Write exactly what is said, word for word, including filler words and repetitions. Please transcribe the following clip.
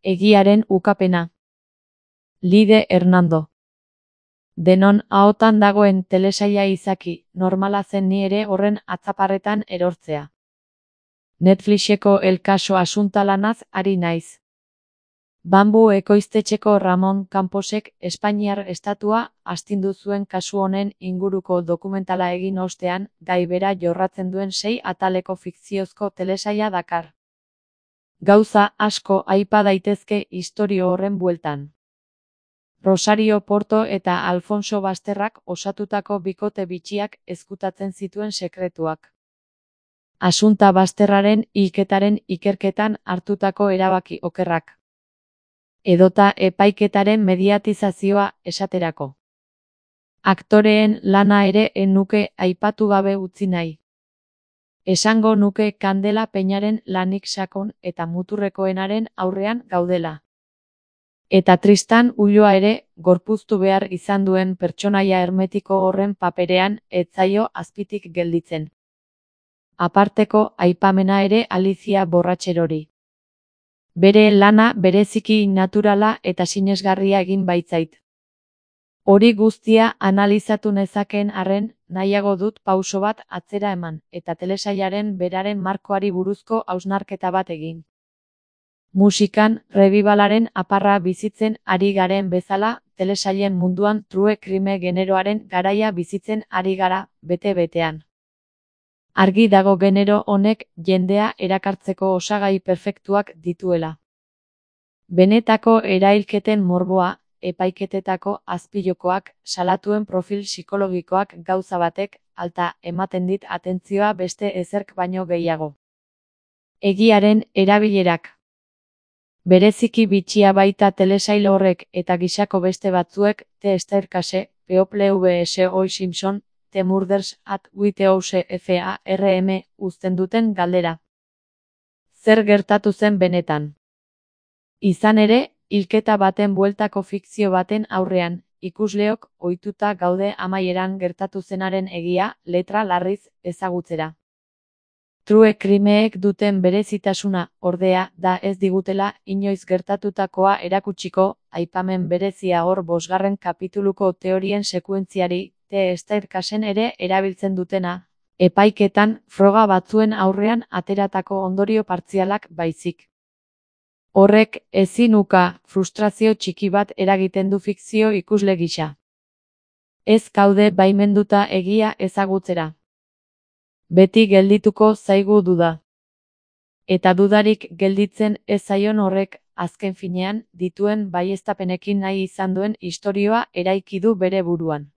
Egiaren ukapena. Lide Hernando. Denon ahotan dagoen telesaila izaki, normala zen ni ere horren atzaparretan erortzea. Netflixeko El Caso asunta lanaz ari naiz. Bambu ekoiztetxeko Ramon Camposek Espainiar estatua astindu zuen kasu honen inguruko dokumentala egin ostean, gai bera jorratzen duen sei ataleko fikziozko telesaila dakar. Gauza asko aipa daitezke istorio horren bueltan. Rosario Porto eta Alfonso Basterrak osatutako bikote bitxiak ezkutatzen zituen sekretuak. Asunta Basterraren hilketaren ikerketan hartutako erabaki okerrak. Edota epaiketaren mediatizazioa esaterako. Aktoreen lana ere en nuke aipatu gabe utzi nahi. Esango nuke Kandela Peñaren lanik sakon eta muturrekoenaren aurrean gaudela. Eta Tristan Ulloa ere, gorpuztu behar izan duen pertsonaia hermetiko horren paperean, ez zaio azpitik gelditzen. Aparteko aipamena ere Alicia Borratxerori. Bere lana bereziki naturala eta sinesgarria egin baitzait. Hori guztia analizatu nezakeen arren, nahiago dut pauso bat atzera eman, eta telesailaren beraren markoari buruzko hausnarketa bat egin. Musikan, revivalaren aparra bizitzen ari garen bezala, telesailen munduan true crime generoaren garaia bizitzen ari gara, bete-betean. Argi dago genero honek jendea erakartzeko osagai perfektuak dituela. Benetako erailketen morboa, epaiketetako azpijokoak, salatuen profil psikologikoak gauza batek, alta ematen dit atentzioa beste ezerk baino gehiago. Egiaren erabilerak. Bereziki bitxia baita telesail horrek eta gisako beste batzuek, The Staircase, People vs O J Simpson, The Murders at Whitehorse Farm, uzten duten galdera. Zer gertatu zen benetan? Izan ere, hilketa baten bueltako fikzio baten aurrean, ikusleok ohituta gaude amaieran gertatu zenaren egia, letra larriz, ezagutzera. True crimeek duten berezitasuna, ordea, da ez digutela inoiz gertatutakoa erakutsiko, aipamen berezia hor bosgarren kapituluko teorien sekuentziari, The Staircasen ere erabiltzen dutena, epaiketan froga batzuen aurrean ateratako ondorio partzialak baizik. Horrek ezin uka frustrazio txiki bat eragiten du fikzio ikusle gisa. Ez gaude baimenduta egia ezagutzera. Beti geldituko zaigu duda. Eta dudarik gelditzen ez zaion horrek, azken finean, dituen baieztapenekin nahi izan duen istorioa eraiki du bere buruan.